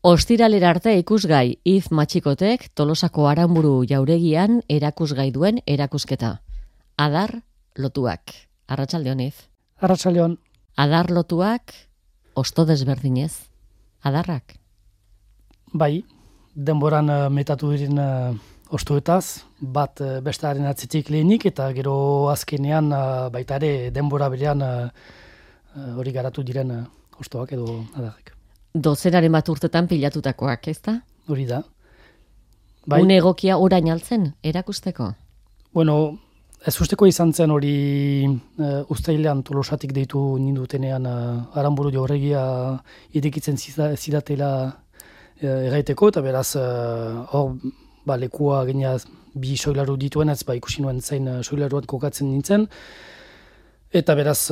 Ostiralera arte ikusgai If Matxikotek Tolosako Aranburu jauregian erakusgai duen erakusketa. Adar lotuak. Arratsaldeon If. Arratsaldeon. Adar lotuak osto desberdinez. Adarrak. Bai, denboran metatu diren ostoetaz, bat bestearen atzetik lehenik eta gero azkenean baita ere denbora berean hori garatu diren ostoak edo adarrak. Dozenaren bat urtetan pilatutakoak, ezta? Hori da. Bai. Une egokia orain altzen erakusteko? Bueno, ez usteko izan zen hori uztailean Tolosatik deitu nindutenean Aranburu jauregia irekitzen zidatela erraiteko, eta beraz hor lekua geniaz bi soilaru dituen, ez ikusi nuen zein soilaruat kokatzen nintzen, eta beraz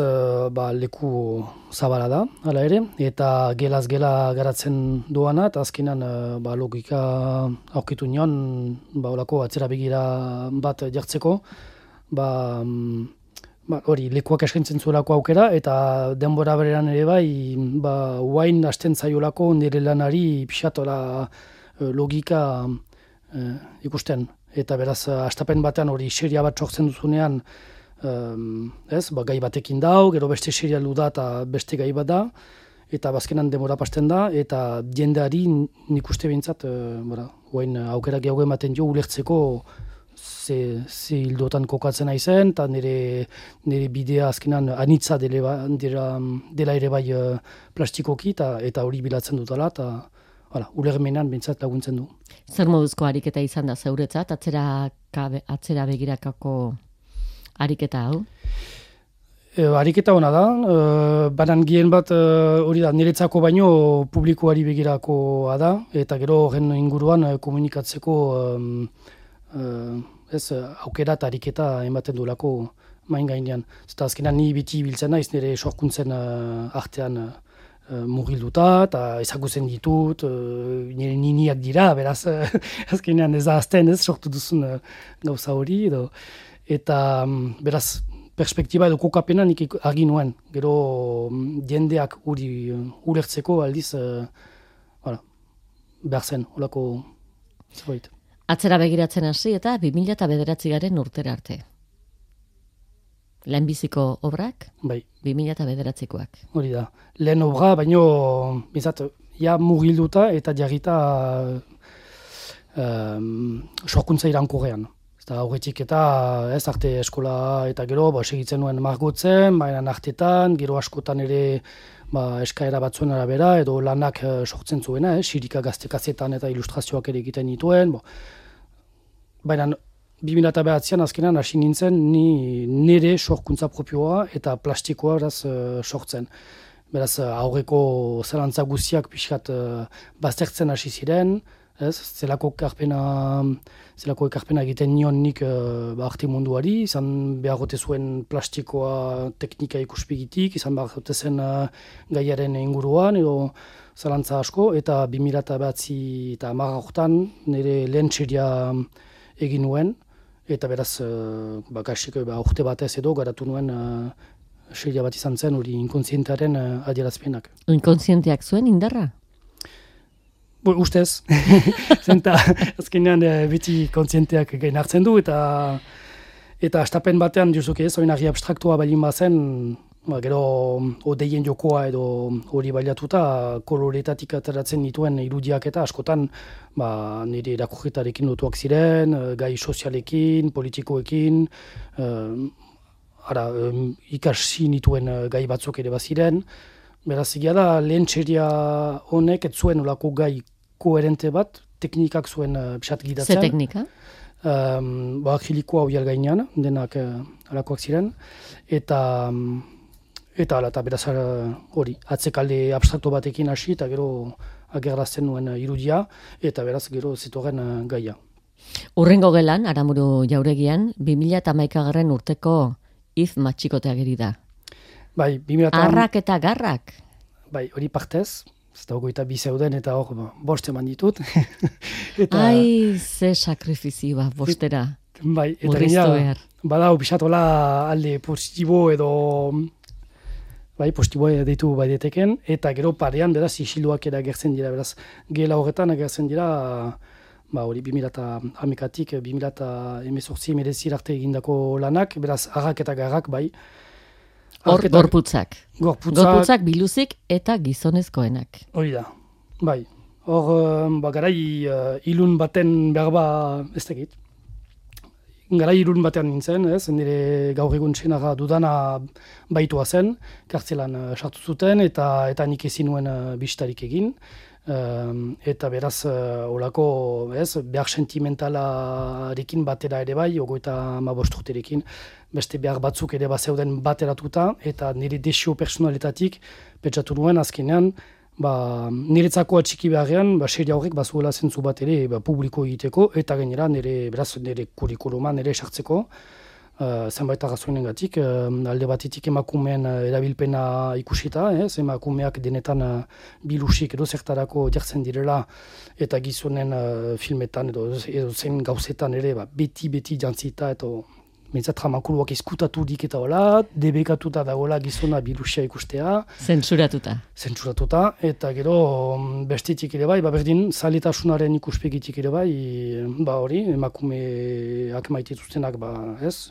leku zabala da, hala ere, eta gelaz gela garatzen doana, eta azkenan logika aurkitu nion, olako atzera begira bat jartzeko, hori lekuak eskaintzen zuelako aukera, eta denbora berean ere uain hasten zaiolako nire lanari pixatola logika ikusten. Eta beraz, astapen batean hori seria bat sortzen duzunean, gai batekin dau, gero beste seria da eta beste gai bat da, eta bazkenan denbora pasten da, eta jendeari nik uste behintzat, uain aukera gehiago ematen jo ulertzeko ze hildotan kokatzen aizen, eta nire bidea azkenan anitza dela ere bai plastikoki, eta hori bilatzen dutala, eta ulermenan bintzat laguntzen du. Zer moduzko ariketa izan da zeuretzat, atzera begirakako ariketa hau? Ariketa hona da, banan gien bat hori da, niretzako baino publikoari begirakoa da, eta gero horren inguruan komunikatzeko aukera eta ariketa ematen duelako main gainean. Eta azkenan ni biti biltzen naiz nire sorkuntzen artean mugilduta, eta ezagutzen ditut, nire niniak dira, beraz azkenean ez da azten sortu duzun gauza hori, eta beraz perspektiba edo kokapena nik argi nuen, gero jendeak ulertzeko aldiz behar zen, holako zerbait. Atzera begiratzen hasi eta 2009 urtera arte. Lehenbiziko obrak? Bai. 2009koak. Hori da. Lehen obra, baino, bizat, mugilduta eta jarrita sorkuntza irankorrean. Eta horretik eta arte eskola eta gero segitzen nuen margotzen, baina artetan, gero askotan ere eskaera batzuen arabera, edo lanak sortzen zuena, sirika gaztekazetan eta ilustrazioak ere egiten dituen. Baina 2009an azkenan hasi nintzen nire sorkuntza propioa eta plastikoa sortzen. Beraz aurreko zelantza guztiak pixkat baztertzen hasi ziren, zelako ekarpena egiten nion nik arte munduari, izan beharrote zuen plastikoa teknika ikuspegitik, izan beharrote zen gaiaren inguruan, edo zalantza asko, eta 2009 eta 2010 nire lehen txeria egin nuen, eta beraz, kasik urte batez edo garatu nuen txeria bat izan zen, hori inkontzientearen adierazpenak. Inkontzienteak zuen indarra? Ustez, zenta azkenean beti kontzienteak gain hartzen du, eta astapen batean duzuk ez, oinarri abstraktua balin bazen, gero odeien jokoa edo hori bailatuta koloretatik ateratzen dituen irudiak eta askotan nire irakurketarekin lotuak ziren, gai sozialekin, politikoekin, ikasi nituen gai batzuk ere baziren. Beraz, egia da, lehen txeria honek ez zuen olako gai koherente bat, teknikak zuen pixat gidatzen. Ze teknika? Akrilikoa hori gainean, denak alakoak ziren, eta beraz hori, atzekalde abstrakto batekin hasi, eta gero agerrazten nuen irudia, eta beraz gero zitoren gaia. Urrengo gelan, Aranburu jauregian, 2011 urteko If Matxikote ageri da. Bai, Arrak eta garrak? Bai, hori partez, ez da hogeita bi zeuden eta hor bost eman ditut. Ai, ze sakrifizioa, bostera. Bai, eta gaina, badau pixatola alde positibo edo bai, postiboa deitu bai deteken, eta gero parean, beraz, isilduak ere agertzen dira, beraz, gela horretan agertzen dira, hori 2011-tik 2018 arte egindako lanak, beraz, harrak eta garrak, bai. Hor, gorputzak. Gorputzak, biluzik eta gizonezkoenak. Hori da, bai. Hor, garai ilun baten berba, ez dakit. Garai ilun batean nintzen, nire gaur egun senarra dudana baitua zen, kartzelan sartu zuten, eta nik ezin nuen bistarik egin. Eta beraz, olako, behar sentimentalarekin batera ere bai, 35 urterekin, beste behar batzuk ere bazeuden bateratuta, eta nire desio personaletatik pentsatu nuen azkenean, niretzako atxiki beharrean, seria horrek bazuela zentzu bat ere publiko egiteko, eta gainera nire kurikuluma nire esartzeko, zenbait arrazoinengatik, alde batetik emakumeen erabilpena ikusita, emakumeak denetan bilusik edo zertarako jartzen direla, eta gizonen filmetan edo zen gauzetan ere beti jantzita, eta Mentzat ramakuluak izkutatudik eta hola, debekatuta dagoela gizona bilusia ikustea. Zentsuratuta, eta gero bestetik ere bai, berdin, zaletasunaren ikuspegitik ere bai, hori, emakumeak maitituztenak,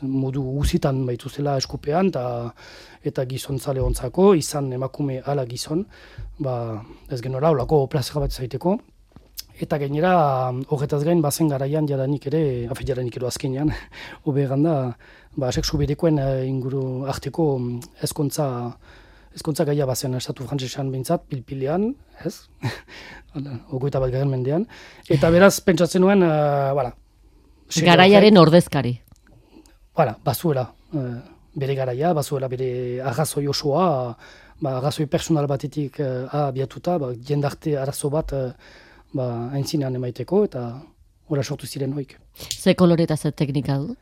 modu guzitan baituzela eskupean, eta gizon zale ontzako, izan emakume ala gizon, ez genora, holako plazera bat zaiteko. Eta gainera, horretaz gain, bazen garaian jadanik edo azkenean, oberan da, sexu berekoen inguru arteko ezkontza gaia bazen estatu frantzesean behintzat, pilpilean, ez? 21. mendean. Eta beraz, pentsatzen nuen, garaiaren ordezkari. Bazuela bere garaia, bazuela bere arrazoi osoa, arrazoi personal batetik abiatuta, jendarte arazo bat, haintzinean emaiteko, eta ora sortu ziren hoik. Ze kolore eta ze teknika du?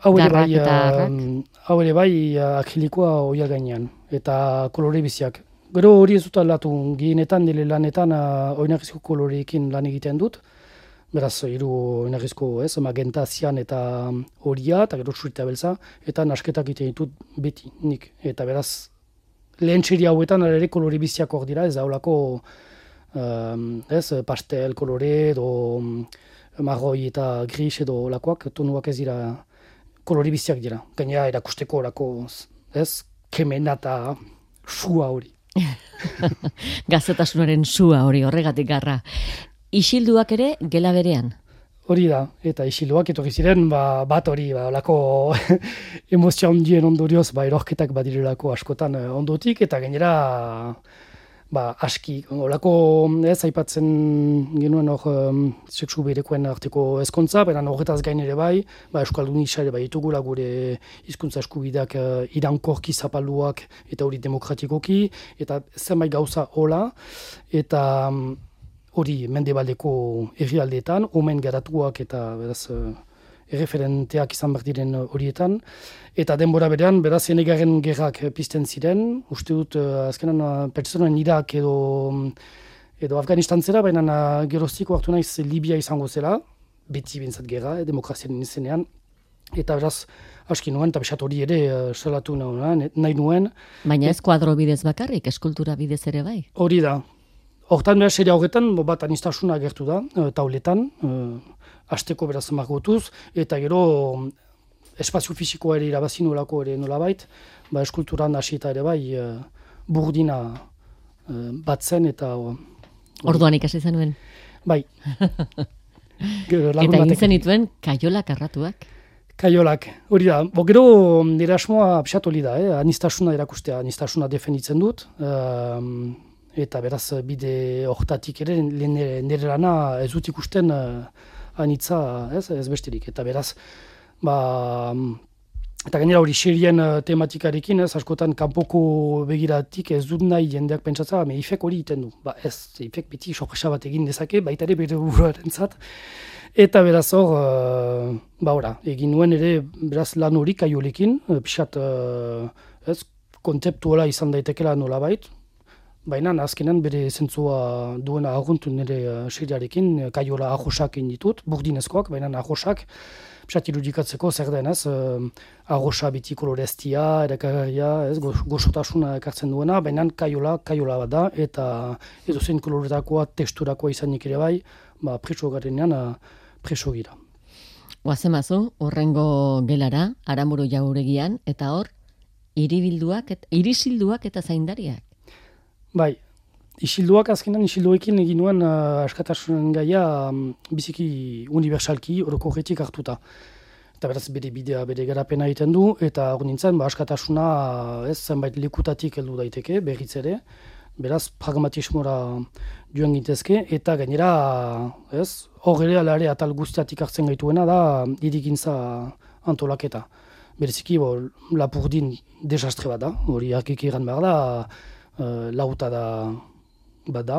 Hau ere bai akrilikoa oia gainean, eta kolore biziak. Gero hori ez dut aldatu, gehienetan, nire lanetan oinarrizko koloreekin lan egiten dut, beraz, hiru oinarrizko magenta, zian eta horia, eta gero txurita beltza, eta nasketak egiten ditut beti, nik. Eta beraz, lehen txeri hauetan ere kolore biziak hor dira, ez da holako pastel, kolore, edo marroi eta gris edo lakoak, tonuak ez dira kolori biziak dira. Gainera erakusteko orako, kemena eta sua hori. Gazetasunaren sua hori, horregatik garra. Isilduak ere gela berean? Hori da, eta isilduak etorri ziren, bat hori, olako emozio handien ondorioz, erorketak badirelako askotan ondotik, eta gainera aski, olako aipatzen genuen sexu berekoen arteko ezkontza, beran horretaz gain ere bai, euskaldun isa ere bai ditugula gure hizkuntza eskubideak irankorki zapalduak eta hori demokratikoki, eta zenbait gauza hola, eta hori mendebaldeko herrialdeetan, omen garatuak eta beraz erreferenteak izan behar diren horietan, eta denbora berean, beraz, enegarren gerrak pizten ziren, uste dut, azkenan, pertsonen Irak edo Afganistan zera, baina geroztiko hartu naiz Libia izango zela, beti bintzat gerra, demokraziaren izenean, eta beraz, aski nuen, eta besat hori ere salatu nahi nuen. Baina ez kuadro bidez bakarrik, eskultura bidez ere bai? Hori da. Hortan beraz, seria horretan, bat anistasuna agertu da, tauletan, hasteko beraz margotuz, eta gero espazio fisikoa ere irabazin olako ere nolabait, eskulturan hasita ere bai burdina bat zen eta... Orduan ikasi zenuen? Bai. Eta egin zenituen kaiolak arratuak? Kaiolak, hori da. Gero nire asmoa pixat hori da, anistasuna erakustea, anistasuna defenditzen dut, eta beraz bide hortatik ere nire lana ez dut ikusten anitza ez besterik, eta beraz, eta gainera hori serien tematikarekin, askotan kanpoko begiratik ez dut nahi jendeak pentsatza, ifek hori egiten du. Ez, ifek beti sorpresa bat egin dezake, baita ere bere buruarentzat. Eta beraz hor, egin nuen ere beraz lan hori kaiolekin, pixat kontzeptuala izan daitekela nolabait, baina azkenan bere zentzua duena aguntu nire seriarekin, kaiola ahosak ditut, burdinezkoak, baina ahosak, pisat irudikatzeko zer denez, ahosa biti koloreztia, erakarria, gozotasuna ekartzen duena, baina kaiola bat da, eta edozein koloretakoa, texturakoa izanik ere bai, preso garenean preso gira. Oazemazu, horrengo gelara, Aranburu jauregian, eta hor, irisilduak eta zaindariak. Bai, isilduekin egin nuen askatasunen gaia biziki unibersalki orokorretik hartuta. Eta beraz bere bidea, bere garapena egiten du, eta hor nintzen, askatasuna zenbait lekutatik heldu daiteke, berriz ere, beraz pragmatismora joan gintezke, eta gainera, hor ere alare atal guztiatik hartzen gaituena da hirigintza antolaketa. Bereziki, Lapurdin desastre bat da, hori arkik egan behar da, lauta bat da,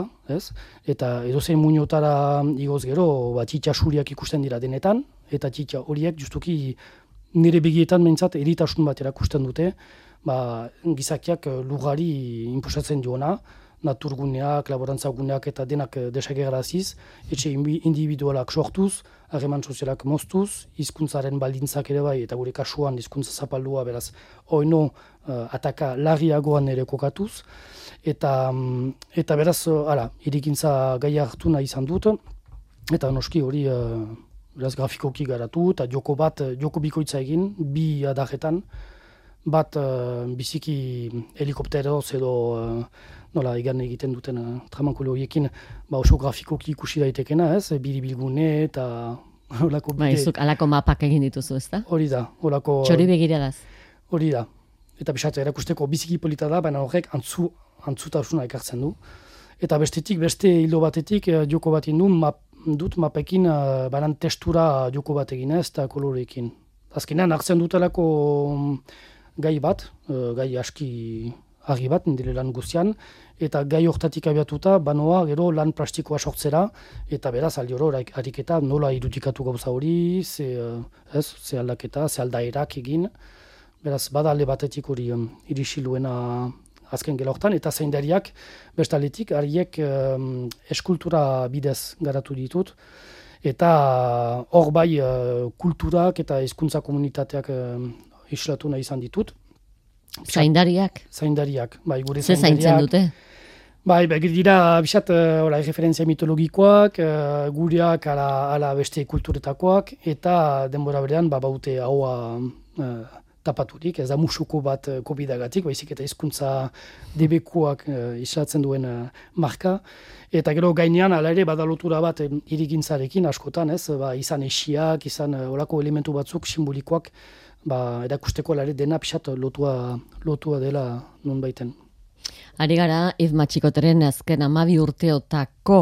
eta edozein muñotara igoz gero, txitsa suriak ikusten dira denetan, eta txitsa horiek justuki nire begietan behintzat eritasun bat erakusten dute, gizakiak lugari inposatzen diona, naturguneak, laborantzaguneak eta denak desagerraziz, etxe individualak sortuz, harreman sozialak moztuz, hizkuntzaren baldintzak ere bai, eta gure kasuan hizkuntza zapaldua beraz, oino ataka larriagoan ere kokatuz, eta beraz, hirigintza gaia hartu nahi izan dut, eta noski hori beraz grafikoki garatu, eta joko bikoitza egin, bi adajetan, bat biziki helikopteroz edo nola egan egiten duten tramankolo horiekin oso grafikoki ikusi daitekena, biribilgune eta olako bide. Zuk alako mapak egin dituzu, ez da? Hori da, olako... Txori begiradaz. Hori da. Eta bisatu erakusteko biziki polita da, baina horrek antzutasuna ekartzen du. Eta beste hildo batetik joko bat dut mapekin banan testura joko bat egin eta koloreekin. Azkenean hartzen dutelako gai bat, gai aski argi bat, nire lan guztian, eta gai hortatik abiatuta, banoa gero lan plastikoa sortzera, eta beraz, aldi oro, ariketa nola irudikatu gauza hori, ze aldaketa, ze aldaerak egin, beraz, bada alde batetik hori irixiluena azken gela hortan, eta zaindariak, bestaletik, hariek eskultura bidez garatu ditut, eta hor bai kulturak eta hizkuntza komunitateak islatu nahi izan ditut. Zaindariak? Zaindariak, bai, gure zaindariak. Ze zaintzen dute? Bai, dira, bisat, referentzia mitologikoak, gureak ala beste kulturetakoak, eta denbora berean, baute haua tapaturik, ez da musuko bat kopidagatik, baizik eta hizkuntza debekuak islatzen duen marka, eta gero gainean, ala ere, badalotura bat hirigintzarekin askotan, izan esiak, izan olako elementu batzuk simbolikoak, erakusteko alare dena pixat lotua dela non baiten. Ari gara, Yves Matxikoteren azken 12 urteotako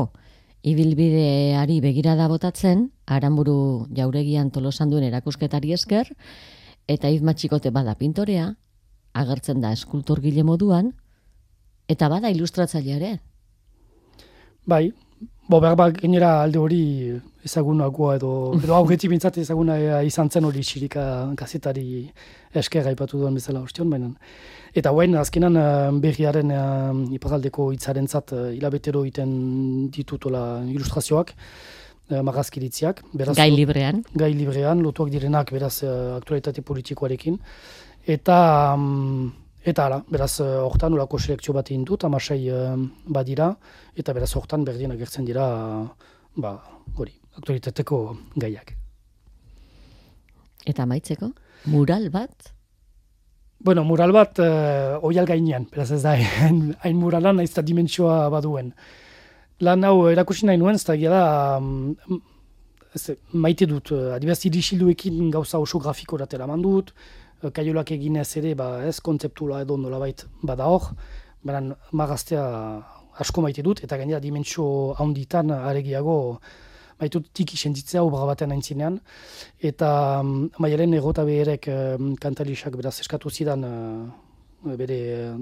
ibilbideari begirada botatzen, Aranburu jauregian Tolosan duen erakusketari esker, eta Yves Matxikote bada pintorea, agertzen da eskultorgile moduan, eta bada ilustratzailea ere. Bai, behar gainera alde hori ezagunagoa edo aurretik bintzat ezaguna izan zen hori txirika kazetari esker aipatu duen bezala ostion, baina. Eta hauen azkenan berriaren iparaldeko hitzarentzat hilabetero egiten ditutola ilustrazioak, marrazkiritziak. Gai librean. Gai librean, lotuak direnak beraz aktualitate politikoarekin. Eta hala, beraz, hortan olako selekzio bat egin dut, 16 badira, eta beraz hortan berdien agertzen dira, hori, aktualitateko gaiak. Eta amaitzeko, mural bat? Bueno, mural bat oial gainean, beraz ez da, hain muralan nahiz eta dimentsioa baduen. Lan hau erakusi nahi nuen, ez da, maite dut, adibaz irisilduekin gauza oso grafikorat eraman dut, kaiolak eginez ere, ez kontzeptula edo nolabait bada hor, baina magaztea asko maite dut, eta gainera dimentsio handitan aregiago maite dut tiki sentitzea obra baten aintzinean, eta maialen egota beherek kantalisak beraz eskatu zidan bere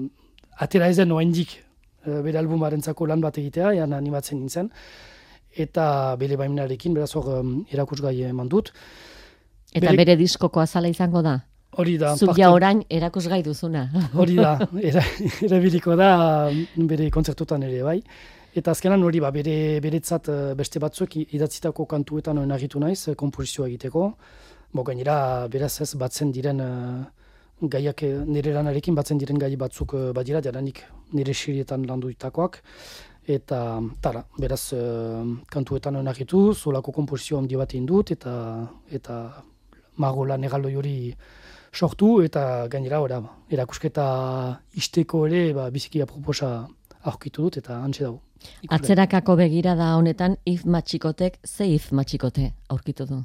atera ezen oendik bere albumarentzako lan bat egitea, ean animatzen nintzen, eta bere baimenarekin beraz hor erakusgai eman dut. Eta bere diskoko azala izango da? Hori da. Zuk ja orain erakusgai duzuna. Hori da, erabiliko da bere kontzertutan ere bai. Eta azkenan hori beretzat beste batzuk idatzitako kantuetan oinagitu naiz, komposizioa egiteko. Gainera, beraz ez batzen diren gaiak nire lanarekin batzen diren gai batzuk badira, jadanik nire xirietan landuitakoak. Eta beraz kantuetan oinagitu, zolako komposizio handi bat egin dut, eta magola negaldoi hori sortu, eta gainera erakusketa isteko ere biziki aproposa aurkitu dut, eta hantxe dago. Atzerakako begirada honetan Yves Matxikotek ze Yves Matxikote aurkitu du?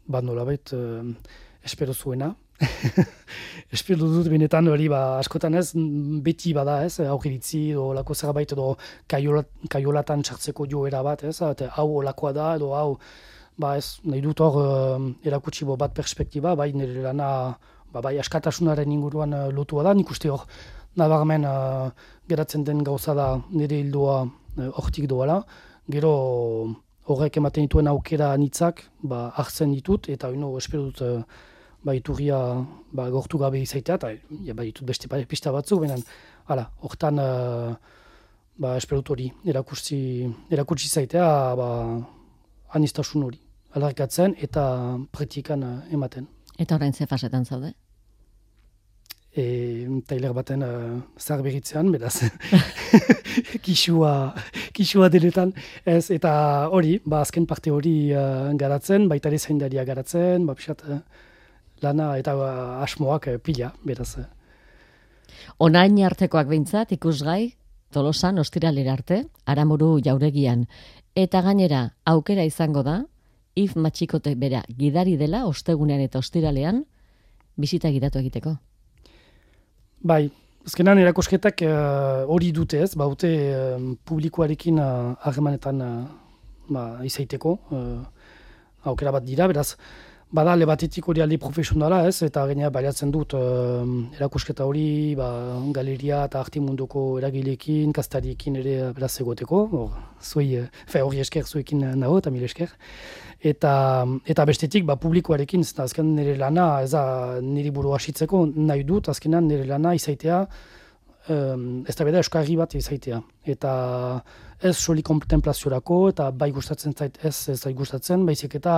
Nolabait, espero zuena. Espero dut benetan hori askotan ez, beti bada ez, aurkiritzi edo lako zerbait edo kaiolatan txartzeko joera bat ez, eta hau olakoa da edo hau, ez, nahi dut hor erakutsi bat perspektiba, bai nire lana, bai askatasunaren inguruan lotua da, nik uste hor nabarmen geratzen den gauza da nire hildoa hortik doala, gero horrek ematen dituen aukera anitzak hartzen ditut, eta espero dut iturria gortu gabe izaitea, eta ditut beste pista batzuk, benen, hortan espero dut hori erakutsi zaitea anistasun hori, alarkatzen eta praktikan ematen. Eta orain ze fasetan zaude? Tailer baten zahar beritzean, beraz, kisua denetan, ez, eta hori, azken parte hori garatzen, baita ere zaindaria garatzen, pixat lana eta asmoak pila, beraz. Onain artekoak behintzat, ikusgai, Tolosan ostiralera arte, Aranburu jauregian, eta gainera aukera izango da, Yves Matxikote bera gidari dela, ostegunean eta ostiralean, bisita gidatu egiteko. Bai, azkenan erakusketak hori dute ez, baute publikoarekin harremanetan izaiteko aukera bat dira, beraz, bada alde batetik hori alde profesionala ez, eta gainera baliatzen dut erakusketa hori galeria eta arte munduko eragileekin, kastariekin ere beraz egoteko, hori esker zuekin nago eta mil esker. Eta bestetik publikoarekin, azken nire lana, ez da nire buru hasitzeko nahi dut, azkenan nire lana izaitea, ez da beda euskarri bat izaitea. Eta ez soli kontemplaziorako, eta bai gustatzen zait ez da gustatzen, baizik eta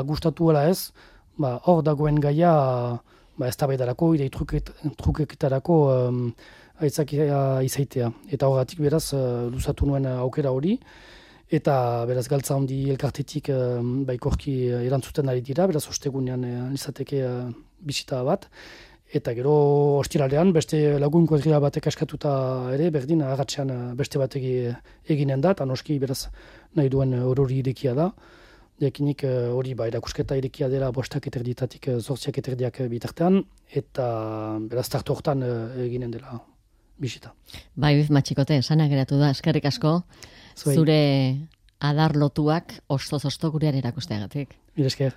gustatuela ez, hor dagoen gaia ez da bedarako, idei trukeketarako aitzakia izaitea. Eta horretik beraz luzatu nuen aukera hori, eta beraz galtza handi elkartetik baikorki erantzuten ari dira, beraz ostegunean izateke bisita bat. Eta gero ostiralean beste lagun kuadrilla batek askatuta ere, berdin agatzean beste batek eginen da, eta noski beraz nahi duen horori irekia da. Jakinik hori erakusketa irekia dela 5:00 8:00 bitartean, eta beraz tartu hortan eginen dela bisita. Yves Matxikote, sana geratu da, eskerrik asko. Zure adar lotuak ostoz-osto gurean erakusteagatik. Mil esker.